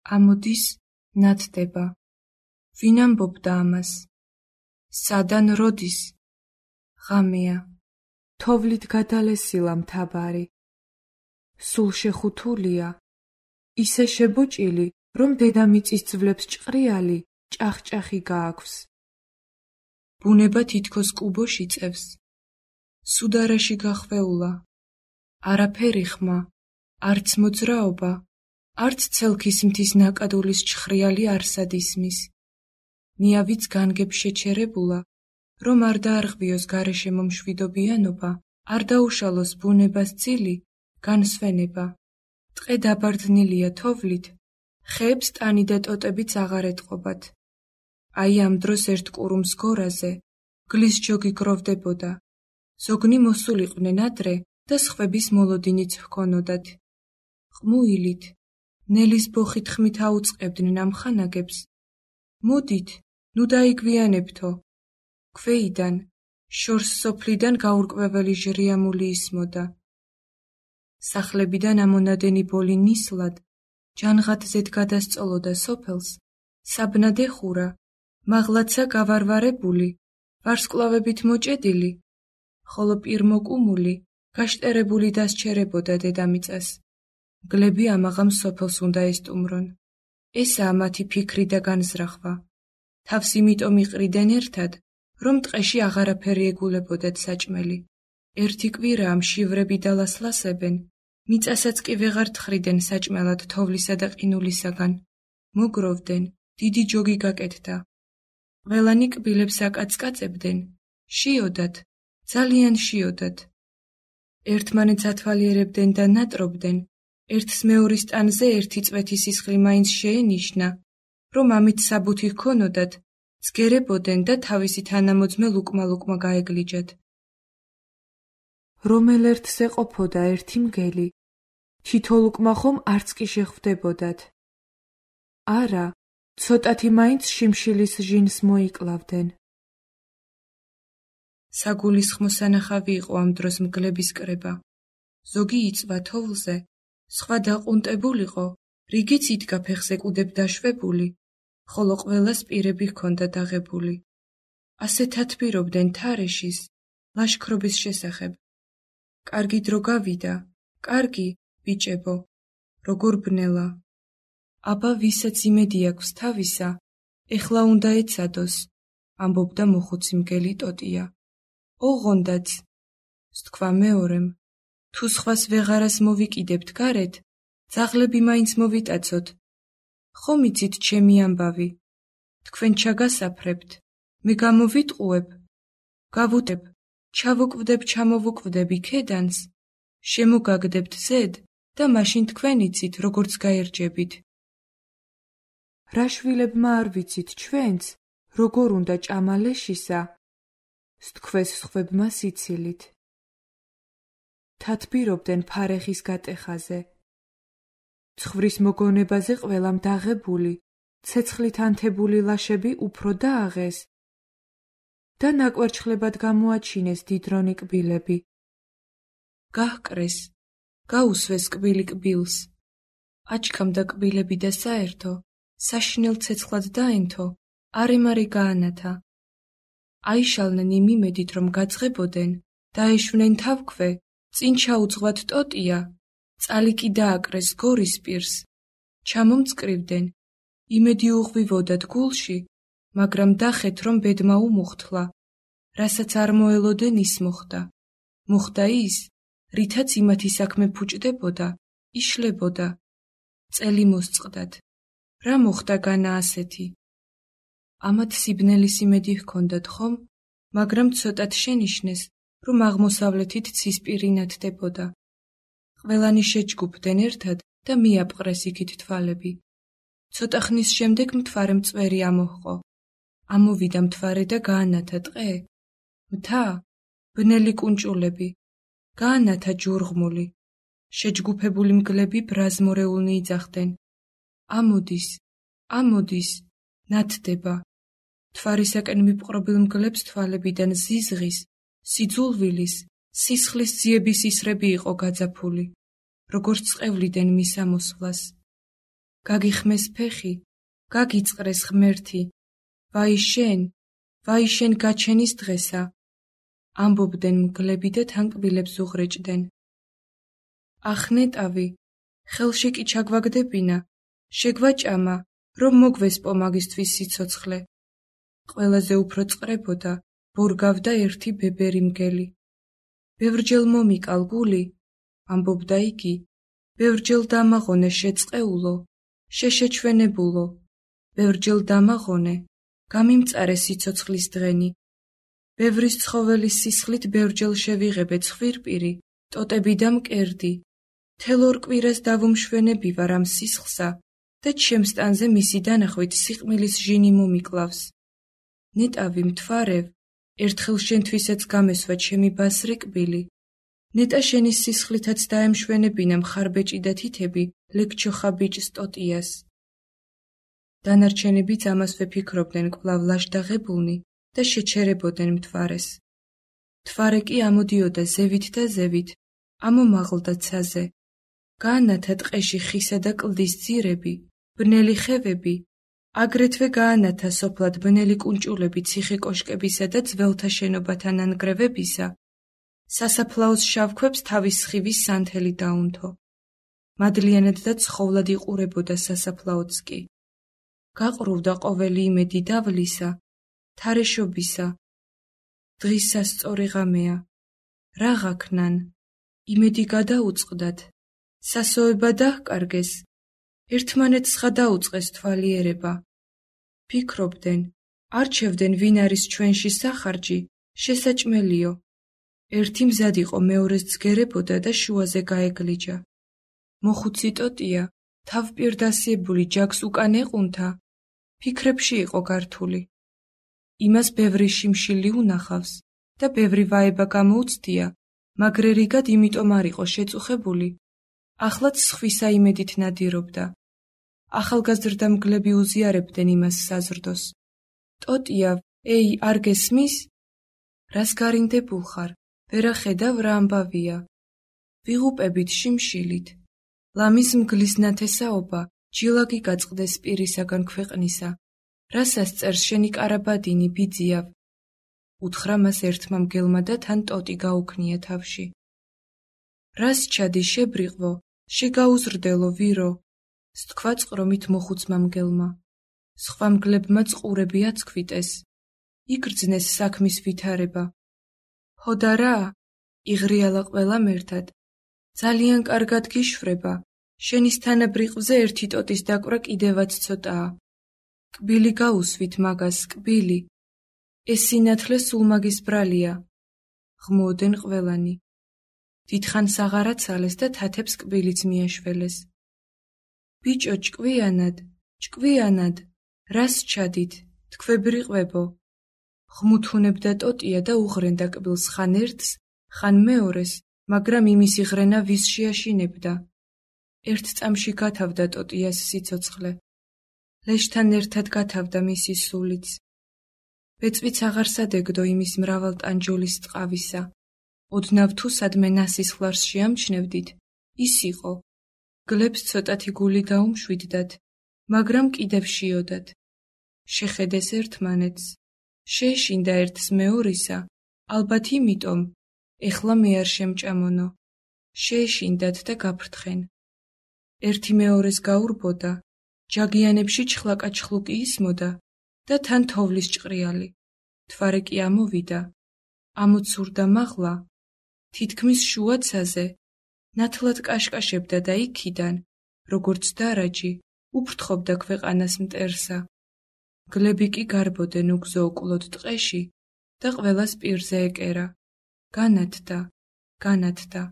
ამოდის, ნათდება. ვინ ამბობდა ამას? სადან როდის? ღამეა. თოვლით გადალესილა მთაბარი. სულ შეხუთულია. ისე შებოჭილი, რომ დედამიწის ძვლებს ჭყრიალი, ჭახ-ჭახი გააქვს. ბუნება თითქოს კუბოში წევს. სუდარაში გახვეულა. არაფერი ხმა, არც მოძრაობა, არც ცელქის მთის ნაკადულის ჭხრიალი არსად ისმის. ნიავიც განგებ შეჩერებულა, რომ არ დაარღვიოს გარეშე მომშვიდობიანობა, არ დაუშალოს ბუნებას ძილი, განსვენება. ტყე დაბარდნილია თოვლით, ხეებს ტანი და ტოტებიც აღარ ეტყობათ. აი ამ დროს ერთ კურუმს გორაზე გლის ჯოგი გროვდებოდა. ზოგნი მოსულიყვნენ ადრე და სხვების მოლოდინიც ჰქონოდათ. ყმუილით, ნელის ბოხით ხმით აუწყებდნენ ამ ხანაგებს. მოდით, ნუ დაიგვიანებთო. ქვეიდან, შორს სოფლიდან გაურკვეველი ჟრიამული ისმოდა. სახლებიდან ამონადენი ბოლი ნისლად, ჯანღათზედ გადასწოლოდა სოფელს, საბნად ეხურა, მაღლაცა გავარვარებული, ვარსკვლავებით მოჭედილი, ხოლო პირმოკუმული, გაშტერებული დასჩერებოდა დედამიწას. მგლები ამაღამ სოფელს უნდა ესტუმრონ. ესაა მათი ფიქრი და განზრახვა. თავს იმიტომ იყრიდნენ ერთად, რომ ტყეში აღარაფერი ეგულებოდათ საჭმელი. ერთი კვირა ამ შივრები დალასლასებენ, მიწასაც კი ვეღარ თხრიდნენ საჭმელად თოვლისა და ყინულისაგან. მოგროვდნენ, დიდი ჯოგი გაკეთდა. ყველანი კბილებს აკაცკაცებდნენ, შიოდათ, ძალიან შიოდათ. ერთმანეთს ათვალიერებდნენ და ნატრობდნენ, ერთს მეორის ტანზე ერთი წვეთი სისხლი მაინც შეენიშნა, რომ ამით საბუთი ჰქონოდათ, ძგერებოდნენ და თავისი თანამოძმე ლუკმა-ლუკმა გაეგლიჯათ. რომელ ერთს ეყოფოდა ერთი მგელი, თითო ლუკმა ხომ არც კი შეხვდებოდათ. არა, ცოტათი მაინც შიმშილის ჟინს მოიკლავდნენ. საგულისხმო სანახავი იყო ამ დროს მგლების კრება. ზოგი იწვა თოვლზე, სხვა დაყუნტებულიყო, რიგიც იდგა ფეხზე კუდებ დაშვებული, ხოლო ყველას პირები ჰქონდა დაღებული. ასეთ ათბირობდნენ თარეშის, ლაშქრობის შესახებ. კარგი დრო გავიდა, კარგი, ბიჭებო, როგორ ბნელა. აბა ვისაც იმედი აქვს თავისა, ეხლა უნდა ეცადოს, ამბობდა მოხუცი მგელი ტოტია. ოღონდაც, სთქვა მეორემ, თუ სხვას ვეღარას მოვიკიდებთ გარეთ, ძაღლები მაინც მოვიტაცოთ. ხომ იცით ჩემი ამბავი, თქვენ ჩაგასაფრებთ, მე გამოვიტყუებ, გავუტებ, ჩავუკვდებ ჩამოვუკვდებ იქედანს, შემოგაგდებთ ზედ და მაშინ თქვენ იცით, როგორც გაერჯებით. რა შვილებმა არ ვიცით ჩვენც, როგორ უნდა ჭამალეშისა, სთქვეს სხვებმა სიცილით. თათბირობდნენ ფარეხის გატეხაზე. ცხვრის მოგონებაზე ყველამ დაღებული, ცეცხლით ანთებული ლაშები უფრო დააღეს და ნაკვერჩხლებად გამოაჩინეს დიდრონი კბილები. გაჰკრეს, გაუსვეს კბილი კბილს. აჩქამდა კბილები და საერთო, საშინელ ცეცხლად დაენთო, არე-მარე გაანათა. აიშალნენ იმ იმედით, რომ გაძღებოდნენ, დაეშვნენ თავქვე, წინ ჩაუძღვათ ტოტია, წალი კი დააკრეს გორის პირს. ჩამომწკრივდნენ, იმედი უღვივოდათ გულში, მაგრამ დახეთ, რომ ბედმა უმუხთლა, რასაც არ მოელოდენ ის მოხდა. მოხდა ის, რითაც იმათი საქმე ფუჭდებოდა, იშლებოდა. წელი მოსწყდათ. რა მოხდა განა ასეთი? ამათ სიბნელის იმედი ჰქონდათ ხომ, მაგრამ ცოტად შენიშნეს, რომ აღმოსავლეთით ცისპირი ნათდებოდა. ყველანი შეჯგუფდნენ ერთად და მიაპყრეს იქით თვალები. ცოტა ხნის შემდეგ მთვარე მწვერი ამოჰყო. ამოვიდა მთვარე და გაანათა ტყე. მთა, ბნელი კუნჭულები, გაანათა ჯურღმული. შეჯგუფებული მგლები ბრაზმორეულნი იძახდნენ. ამოდის, ამოდის, ნათდება. მთვარისაკენ მიპყრობილ მგლებს თვალებიდან ზიზღის, სიძულვილის, სისხლის ძიების ისრები იყო გაძაფული, როგორც წყევლიდან მის ამოსვლას. გაგიხმეს ფეხი, გაგიწყრეს ღმერთი, ვაი შენ გაჩენის დღესა, ამბობდნენ მგლები და თან კბილებს უღრეჭდნენ. ახ ნეტავი, ხელში კი ჩაგვაგდებინა, შეგვაჭამა, რომ მოგვესპო მაგისთვის სიცოცხლე. ყველაზე უფრო წყრებოდა, ბორგავდა ერთი ბებერი მგელი. ბევრჯერ მომიკალ გული, ამბობდა იგი, ბევრჯერ დამაღონე შეწყეულო, შეშეჩვენებულო, ბევრჯერ დამაღონე, გამიმწარე სიცოცხლის დღენი. ბევრის ცხოველის სისხლით ბევრჯერ შევიღებე ცხვირპირი, ტოტები და მკერდი. თელ ორ კვირას დავუმშვენები ვარ ამ სისხლსა და ჩემს ტანზე მისი დანახვით სიყმილის ჟინი მომიკლავს. ნეტავი მთვარევ, ერთხელ შენთვისაც გამესვა ჩემი ბასრი კბილი. ნეტა შენი სისხლითაც დაემშვენებინა მხარბეჭი და თითები ლეგჩოხა ბიჭს ტოტიას. დანარჩენებიც ამას ვეფიქრობდნენ კვლავ ლაშდაღებულნი და შეჩერებოდნენ მთვარეს. მთვარე კი ამოდიოდა ზევით და ზევით, ამომაღლდა ცაზე. გაანათა ტყეში ხისა და კლდის ძირები, ბნელი ხევები, აგრეთვე გაანათა სოფლად ბნელი კუნჭულები ციხე კოშკებისა და ძველთა შენობათა ნანგრევებისა. სასაფლაოს შავქვებს თავის სხივის სანთელი დაუნთო. მადლიანად და ცხოვლად იყურებოდა სასაფლაოც კი. გაყრუვდა ყოველი იმედი დავლისა, თარეშობისა. დღის სასწორი ღამეა. რა ღაქნან? იმედი გადაუწყდათ. სასოება დაჰკარგეს. ერთმანეთს ხა დაუწყეს თვალიერება. ფიქრობდნენ, არჩევდნენ ვინ არის ჩვენში სახარჯი, შესაჭმელიო. ერთი მზად იყო მეორეს ძგერებოდა და შუაზე გაეგლიჯა. მოხუცი ტოტია, თავპირდასიებული ჯაგს უკან ეყუნთა, ფიქრებში იყო გართული. იმას ბევრი შიმშილი უნახავს და ბევრი ვაება გამოუცდია, მაგრერიგად იმიტომ არ იყო შეწუხებული. ახლაც სხვისა იმედით ნადირობდა. ახალგაზრდა მგლები უზიარებდნენ იმას საზრდოს. ტოტია, ეი, არ გესმის? რას გარინდებულ ხარ? ვერა ხედავ რა ამბავია. ვიღუპებით შიმშილით. ლამის მგლის ნათესაობა, ჯილაგი გაწყდეს პირისაგან ქვეყნისა. რასას წერს შენი კარაბადინი ბიძიავ? უთხრა მას ერთმა მგელმა და თან ტოტი გაუქნია თავში. რას ჩადი შებრიყვო, შეგაუზრდელო ვირო, სთქვა წყრომით მოხუცმა მგელმა. სხვა მგლებმა წყურები აცქვიტეს. იგრძნეს საქმის ვითარება. ჰოდა რა? იღრიალა ყველამ ერთად. ძალიან კარგად გიშვრება. შენის თანაბრიყვზე ერთი ტოტის დაკვრა კიდევაც ცოტაა. კბილი გაუსვით მაგას, კბილი. ეს სინათლე სულ მაგის ბრალია. ღმოდნენ ყველანი. დიდხანს აღარ აცალეს და თათებს კბილიც მიაშველეს. ბიჭო, ჭკვიანად, რას ჩადით, თქვებრიყვებო. ღმუთუნებდა ტოტია და უღრენდა კბილს ხან ერთს, ხან მეორეს, მაგრამ იმისი ღრენა ვის შეაშინებდა. ერთ წამში გათავდა ტოტიას სიცოცხლე. ლეშთან ერთად გათავდა მისი სულიც. ბეწვიც აღარ სადეგდო იმის მრავალტანჯოლის ტყავისა. ოდნავ თუ სადმე ნასისხლარს შეამჩნევდით, ის იყო. გლებს ცოტათი გული დაუმშვიდდათ, მაგრამ კიდევ შიოდათ. შეხედეს ერთმანეთს, შეეშინდა ერთს მეორისა, ალბათ იმიტომ, ეხლა მე არ შემჭამონო. შეეშინდათ და გაფრთხენ. ერთი მეორეს გაურბოდა, ჯაგიანებში ჩხლაკაჩხლუკი ისმოდა და თან თოვლის ჭყრიალი. მთვარე კი ამოვიდა, ამოცურდა მაღლა, თითქმის შუაცაზე, ნათლად კაშკაშებდა და იქიდან, როგორც დარაჯი, უფრთხობდა ქვეყანას მტერსა. გლები კი გარბოდნენ უგზო უკლოდ ტყეში და ყველას პირზე ეკერა. განათდა.